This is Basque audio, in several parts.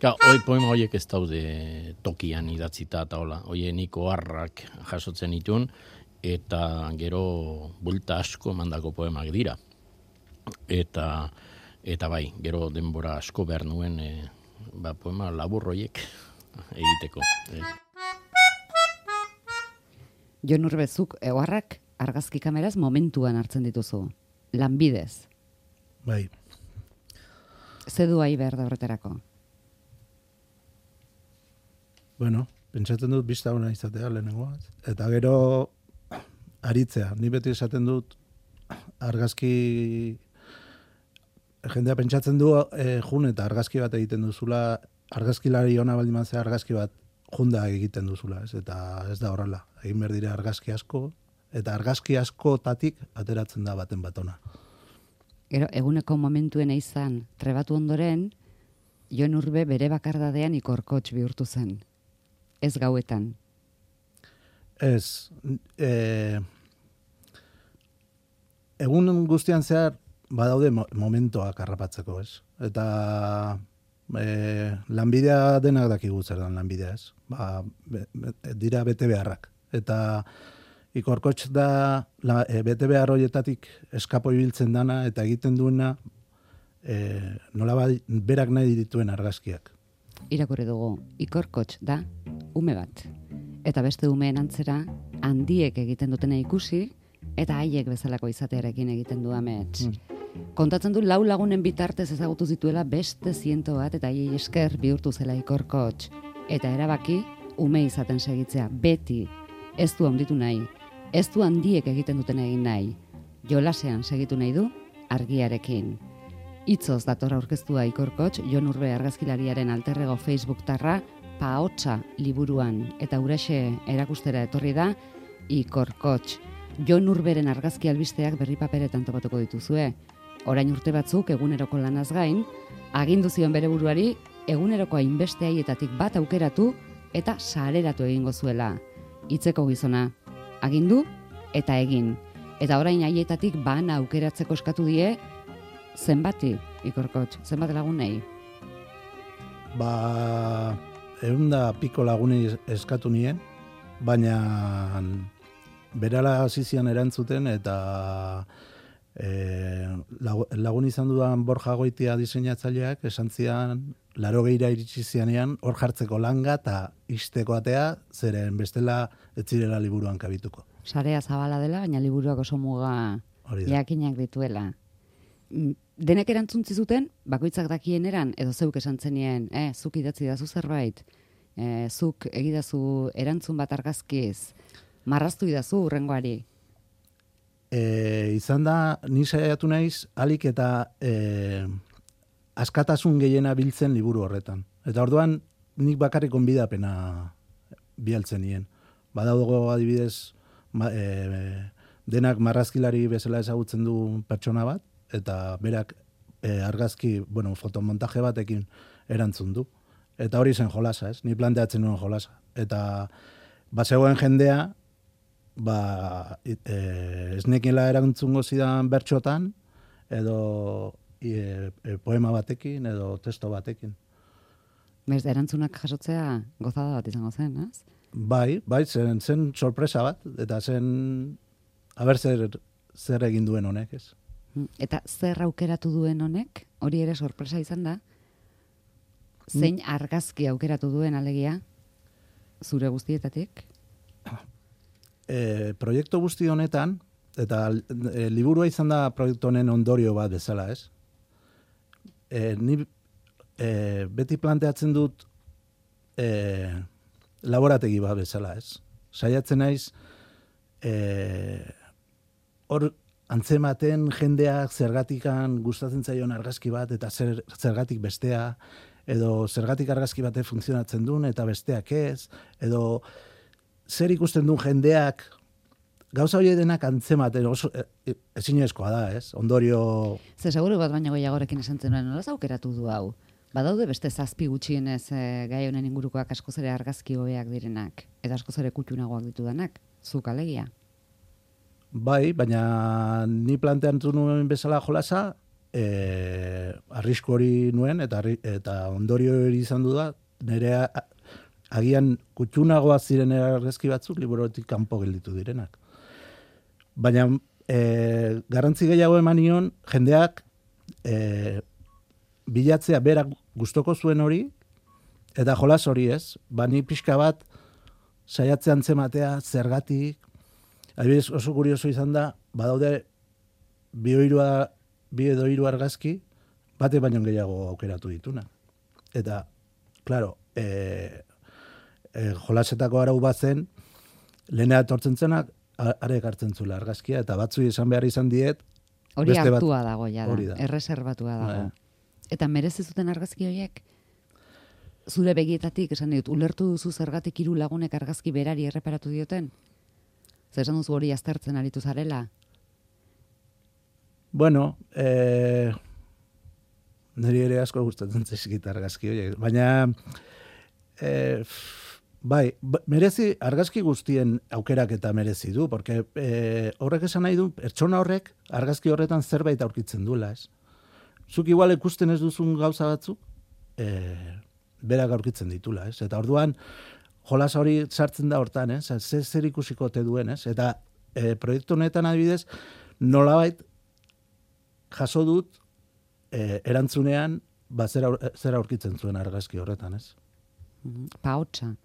Poema horiek ez daude tokian idatzita eta hola. Nik oharrak jasotzen ditun, eta gero bulta asko mandako poemak dira. Eta bai, gero denbora asko behar nuen poema labur horiek egiteko. Jon Urbezuk, oharrak argazki kameraz momentuan hartzen dituzu. Lanbidez. Bai. Zedu ahi behar da horretarako? Bueno, pentsatzen dut bista ona izatea lehenengoa. Eta gero aritzea. Ni beti esaten dut argazki... Jendea pentsatzen du jun eta argazki bat egiten duzula, argazkilari ona baldin mazea argazki bat junda egiten duzula, ez? Eta ez da horrela. Egin behar dira argazki asko, eta argazki askotatik ateratzen da baten bat ona. Gero, eguneko momentuen izan trebatu ondoren, Jon Urbe bere bakardadean ikorkotx bihurtu zen. Ez gauetan. Ez. Egun guztian zehar badaude momentoak harrapatzeko, ez? Eta lanbidea denak dakigu zer dan lanbidea, ez? Dira bete beharrak. Eta ikorkotx da bete behar horietatik eskapo ibiltzen dana eta egiten duena nola berak nahi dituen argazkiak. Irakurri dugu, ikorkotx da ume bat. Eta beste umeen antzera handiek egiten dutena ikusi eta haiek bezalako izatearekin egiten du amets. Kontatzen du 4 lagunen bitartez ezagutu zituela beste 100 bat eta haiei esker bihurtu zela ikorkotx. Eta erabaki ume izaten segitzea beti. Ez du handitu nahi, ez du handiek egiten duten egin nahi. Jolasean segitu nahi du argiarekin. Itzoz dator aurkeztua ikorkotx, Jon Urbe argazkilariaren alterrego Facebook-tarra Paotxa liburuan eta huraxe erakustera etorri da ikorkotx. Jon Urberen argazki albisteak berri paperetan topatuko dituzue. Orain urte batzuk eguneroko lanaz gain, agindu zion bere buruari eguneroko hainbeste haietatik bat aukeratu eta sareratu egingo zuela. Hitzeko gizona, agindu eta egin. Eta orain haietatik bana aukeratzeko eskatu die, zenbati, ikorkotx, zenbat lagunei? 100 piko lagunei eskatu nien, baina berala hasi zian erantzuten eta lagun izan dudan Borja Goitia diseinatzaileak esan zian 80 iritsi zianean hor jartzeko langa eta ixteko atea, zeren bestela ez zirela liburuan kabituko. Sarea zabala dela, baina liburuak oso muga jakinak dituela. Denek erantzun zuten, bakoitzak dakien eran, edo zeuk esan zenien, zuk idatzi dazu zerbait, zuk egidazu erantzun bat argazkiz, marraztu idazu urrengoari. Izan da, ni saiatu naiz, alik eta askatasun gehiena biltzen liburu horretan. Eta orduan, nik bakarrik gonbidapena bialtzen nien. Badaugo adibidez, denak marrazkilari bezala ezagutzen du pertsona bat, eta berak argazki, fotomontaje batekin erantzun du. Eta hori zen jolasa, ez? Ni planteatzen nuen jolasa. Eta bazegoen jendea, ez nekiela erantzungo zidan bertxotan, edo poema batekin, edo testo batekin. Bez, erantzunak jasotzea gozada bat izango zen, ez? Bai, zen sorpresa bat, eta zen, haber zer egin duen honek, ez? Eta zer aukeratu duen honek, hori ere sorpresa izan da, zein argazki aukeratu duen alegia, zure guztietatik? Proiektu guzti honetan, eta liburua izan da proiektu honen ondorio bat bezala, ez? Ni beti planteatzen dut laborategi bat bezala, ez? Saiatzen naiz hor antzematen jendeak zergatikan gustatzen zaion argazki bat eta zergatik bestea, edo zergatik argazki batek funtzionatzen duen eta besteak ez, edo zer ikusten duen jendeak, gauza hori denak antzematen oso ezinezkoa da, ez? Ondorio... Ze seguru bat baina goiagorekin esan zenuen, nolaz aukeratu du hau? Badaude beste 7 gutxienez gai honen ingurukoak askoz ere argazki hobeak direnak, eta askoz ere kutxunagoak ditudanak, zuk alegia. Bai, baina ni planteatu nuen bezala jolasa, arrisku hori nuen, eta ondorio hori izan du da, nire agian kutxunagoa ziren argazki batzuk liburutik kanpo gelditu direnak. Baina garrantzi gehiago eman nion, jendeak bilatzea berak gustoko zuen hori, eta jolas hori ez, ni pixka bat saiatzean zematea zergatik, adibidez oso kurioso izan da, badaude bi edo hiru argazki, bate baino gehiago aukeratu dituna. Eta, claro, jolasetako arau bazen, lehenea etortzen zenak, arek hartzen zula argazkia, eta batzu izan behar izan diet, hori hartua dago, ja da, erreserbatua dago. Eta merezi zuten argazki horiek, zure begietatik, esan dut, ulertu duzu zergatik 3 lagunek argazki berari erreparatu dioten? Zer esan duzu hori aztertzen aritu zarela? Bueno, niri ere asko gustatzen zaizkit argazki horiek, baina bai, merezi argazki guztien aukerak eta merezi du, porque horrek esan nahi du, pertsona horrek argazki horretan zerbait aurkitzen duela, ez? Zuk igual ikusten ez duzun gauza batzuk, berak aurkitzen ditula, ez? Eta orduan, jolas hori sartzen da hortan, ez? Zer ikusiko te duen, ez? Eta proiektu honetan adibidez, nolabait jaso dut erantzunean zer aurkitzen zuen argazki horretan, ez? Pahotsa.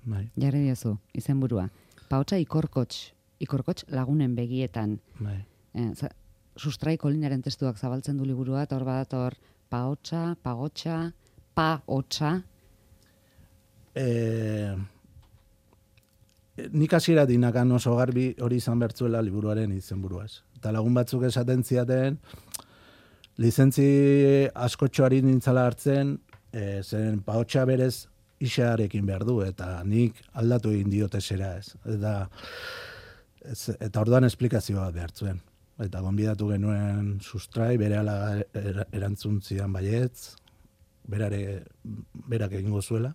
Bai. Jarri diozu, izenburua. Pahotsa ikorkots lagunen begietan. Bai. Sustrai Kolinaren testuak zabaltzen du liburua, eta hor badator pahotsa, pagotsa, pahotsa. Nik hasiera dinakan oso garbi hori izan bertzuela liburuaren izenburuaz. Eta lagun batzuk esaten ziaten, lizentzi askotxoari nintzala hartzen, zeren pahotsa berez isarekin behar du, eta nik aldatu egin diote zera ez. Eta orduan esplikazioa behar zuen. Eta gonbidatu genuen sustrai, berehala erantzun zidan baietz, berak egingo zuela.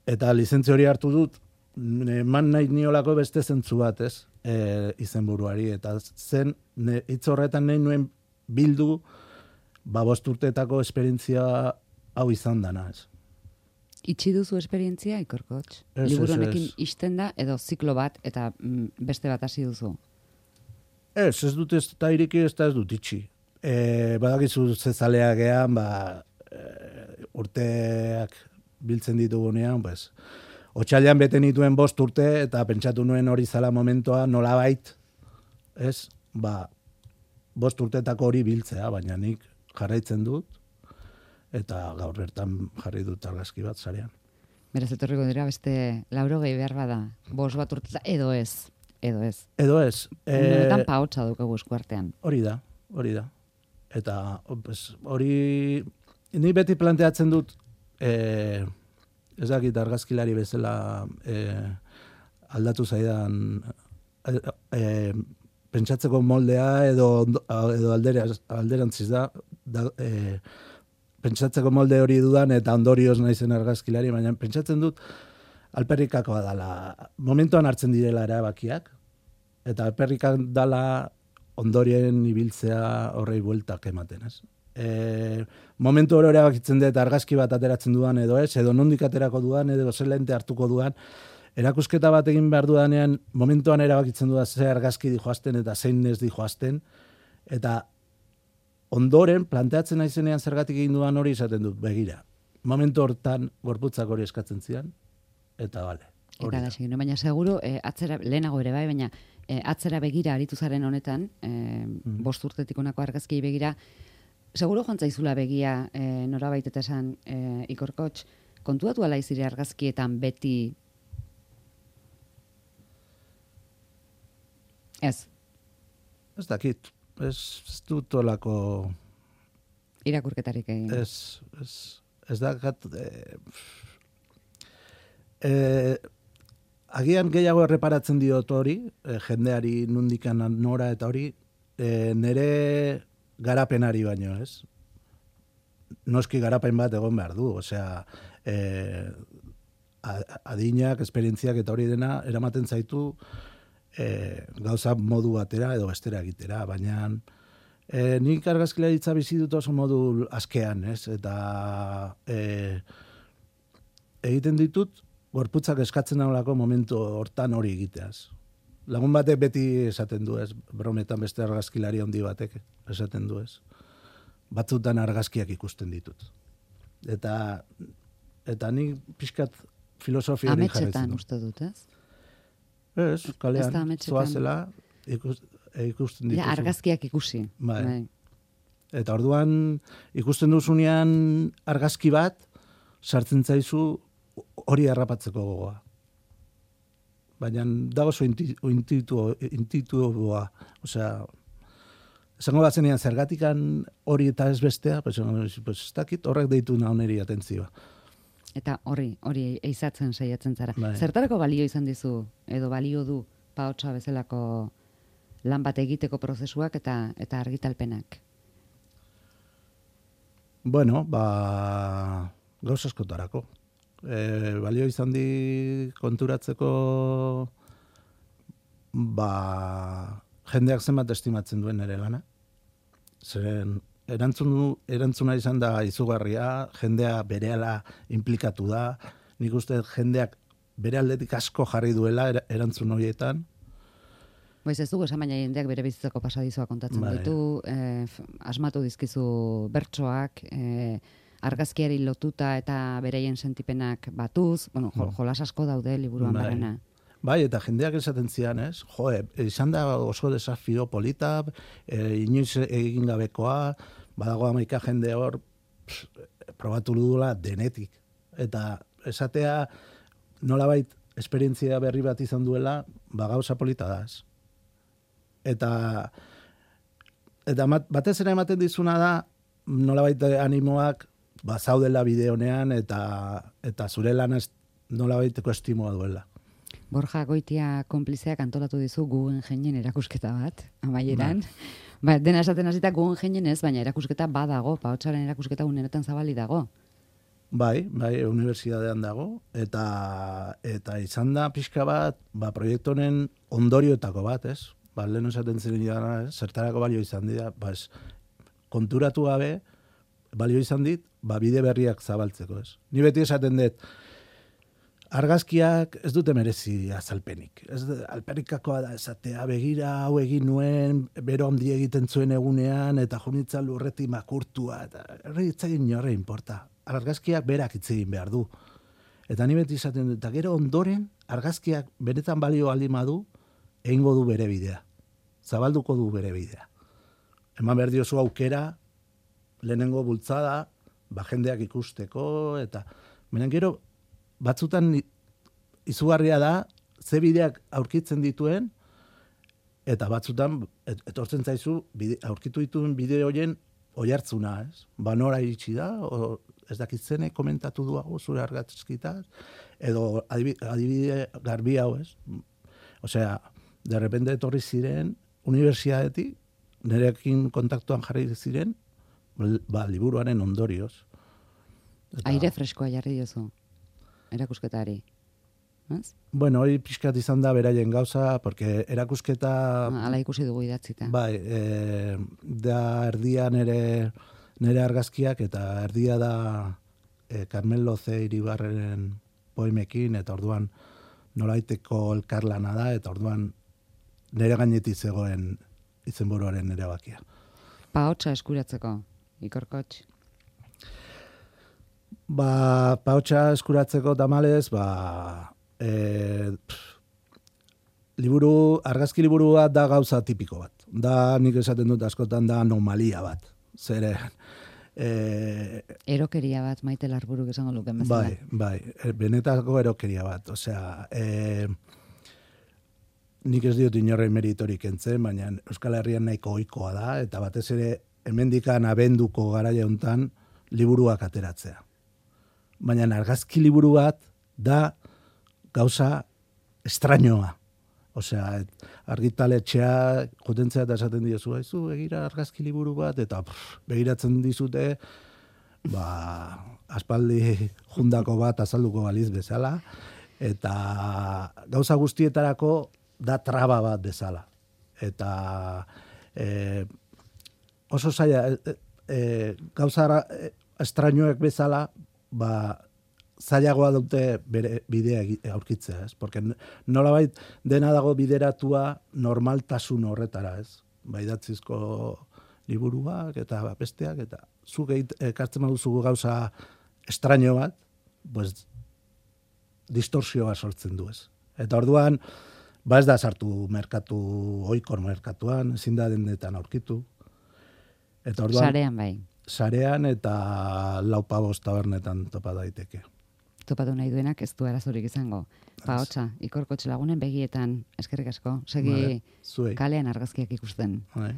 Eta lizentzi hori hartu dut, eman nahi niolako beste zentzu bat, ez, izenburuari, eta zen, hitz horretan nahi nuen bildu, 5 urteetako esperientzia hau izan dana, ez. Itxi duzu esperientzia, Ikorkots? Liburu honekin ixten da, edo ziklo bat, eta beste bat hasi duzu? Ez dut ez da iriki, ez dut itxi. Badakizu zezaleak ean, urteak biltzen ditugunean, pues, otxailean bete nituen 5 urte, eta pentsatu nuen hori zala momentua nolabait, ez, 5 urteetako hori biltzea, baina nik jarraitzen dut, eta gaur bertan jarri dut argazki bat sarean. Beraz, etorriko dira beste 80 behar bada, 5 bat urteta, edo ez. Edo ez. Honetan pahotsa dukagu eskuartean. Hori da. Eta hori, ni beti planteatzen dut, ez dakit argazkilari bezala aldatu zaidan pentsatzeko moldea edo alderantziz da pentsatzeko molde hori dudan eta ondorioz naizen argazkilari, baina pentsatzen dut alperrikakoa dala. Momentuan hartzen direla erabakiak, eta alperrikak dala ondorien ibiltzea horrei bueltak ematen, ez? Momentu hori erabakitzen dut argazki bat ateratzen dudan edo ez, edo nondik aterako dudan, edo zelente hartuko dudan, erakusketa bat egin behar dudanean, momentuan erabakitzen dudan ze argazki dijoazten eta zein ez dijoazten, eta ondoren, planteatzen naizenean zergatik egin dudan hori izaten dut, begira. Momentu hortan gorputzak hori eskatzen zidan, eta bale. Eta da, segino, baina seguru, atzera, lehenago ere bai, baina atzera begira aritu zaren honetan, 5 urtetik honako argazkiei begira, seguro joan zaizula begia norabait eta esan Ikorkots, kontuatu ala izire argazkietan beti ez? Ez dakit, ez dut olako irakurketarik egin. Ez dakat agian gehiago erreparatzen diot hori, jendeari nundikan nora eta hori, nere garapenari baino, ez? Noski garapen bat egon behar du, osea, adinak, esperientziak eta hori dena, eramaten zaitu gauza modu batera edo bestera egitera, baina Nik argazkilaritza bizi dut oso modu askean, ez? Eta egiten ditut, gorputzak eskatzen daulako momentu hortan hori egiteaz. Lagun batek beti esaten du, ez? Brometan beste argazkilari handi batek esaten du, ez? Batzutan argazkiak ikusten ditut. Eta nik pixkat filosofia hori jarretzen Ametxetan du. uste dut, ez? Ez, kalean, zoazela ikusten dituzu. Ja, argazkiak ikusi. Bai. Eta orduan ikusten duzunean argazki bat, sartzen zaizu hori harrapatzeko gogoa. Baina da oso intuitiboa. Osea, esango batzenean zergatikan hori eta ez bestea, pues ez dakit horrek deitu nauneri atentzioa. Eta hori eizatzen saiatzen zara. Bai. Zertarako balio izan dizu, edo balio du Pahotsa bezalako lan bat egiteko prozesuak eta argitalpenak? Bueno, gauz askotarako. Balio izan di konturatzeko jendeak zenbat estimatzen duen ere lana. Zeren erantzuna izan da izugarria, jendea berehala implikatu da, nik uste jendeak bere aldetik asko jarri duela erantzun horietan. Boiz ez dugu esan, baina jendeak bere bizitzako pasadizoa kontatzen ditu, asmatu dizkizu bertsoak, argazkiari lotuta eta bereien sentipenak batuz, bueno, jolas asko daude liburuan barrena. Bai, eta jendeak esaten zian, ez? Jo, izan da oso desafio polita, inoiz egin gabekoa, badago 11 jende hor, probatu dudula denetik. Eta esatea nolabait esperientzia berri bat izan duela, gauza polita da, ez? Eta batez ere ematen dizuna da, nolabait animoak zaudela bide honean eta zure lan nolabaiteko estimoa duela. Borja Goitia konplizeak antolatu dizu Guggenheinen erakusketa bat, amaieran. Dena esaten hasita Guggenheinen ez, baina erakusketa badago, Pahotsaren erakusketa unenetan zabali dago. Bai, unibertsitatean dago, eta izan da pixka bat, proiektu honen ondorioetako bat, ez? Lehen esaten ziren zertarako balio izan dira, konturatu gabe, balio izan dit, bide berriak zabaltzeko, ez? Ni beti esaten dut, argazkiak ez dute merezi azalpenik. Alperikakoa da esatea, begira hau egin nuen, bero handi egiten zuen egunean, eta junitza lurreti makurtua, eta erregitzagin norre inporta. Argazkiak berak hitz egin behar du. Eta ni beti esaten dut, eta gero ondoren, argazkiak benetan balio aldima du, egingo du bere bidea. Zabalduko du bere bidea. Eman behar diozu aukera, lehenengo bultzada, jendeak ikusteko, eta benen gero, batzutan izugarria da, ze bideak aurkitzen dituen, eta batzutan, etortzen zaizu, aurkitu dituen bide horien oihartzuna, ez? Nora iritsi da, ez dakitzene komentatu duago zure argazkitaz, edo adibide garbi hau, ez? Osea, de repente etorri ziren, unibertsitatetik, nirekin kontaktuan jarri ziren, liburuaren ondorioz. Aire freskoa jarri diozu, erakusketari. Bueno, hori pixkat izan da beraien gauza, porque erakusketa... Hala ikusi dugu idatzita. Bai, da erdia nere argazkiak, eta erdia da Carmelo C. Iribarren poemekin, eta orduan nolaiteko elkarlana da, eta orduan nere gainetik zegoen izenburuaren erabakia. Pahotsa eskuratzeko, Ikorkotx? Pahotsa eskuratzeko tamalez, argazki liburua da gauza tipiko bat. Da, nik esaten dut askotan da anomalia bat. Zere... erokeria bat, Maite Larburuk esango luken bezala. Bai, benetako erokeria bat. Osea, nik ez diot inorren meritorik entzen, baina Euskal Herrian nahiko ohikoa da, eta batez ere hemendikan abenduko garaia hontan liburuak ateratzea. Baina argazki liburu bat da gauza estrañoa. Osea, argitaletxea jotentzea eta esaten diozu, begira argazki liburu bat, eta begiratzen dizute, aspaldi jundako bat azalduko baliz bezala, eta gauza guztietarako da traba bat bezala. Eta oso zaila, gauza estrainoek bezala, zailagoa dute bere bidea aurkitzea, ez? Porque nolabait dena dago bideratua normaltasun horretara, ez? Idatzizko liburuak eta besteak, eta zuk ekartzen baduzu gauza estraino bat, pues, distorsioa sortzen du, ez? Eta orduan, ez da sartu oikor merkatuan, ezin da dendetan aurkitu. Eta orduan, Sarean bai. Sarean eta 4-5 tabernetan topa daiteke. Topatu nahi duenak ez du arazorik izango. Hotza, Ikorkotx lagunen begietan, eskerrik asko, segi Zuei. kalean argazkiak ikusten. Bai.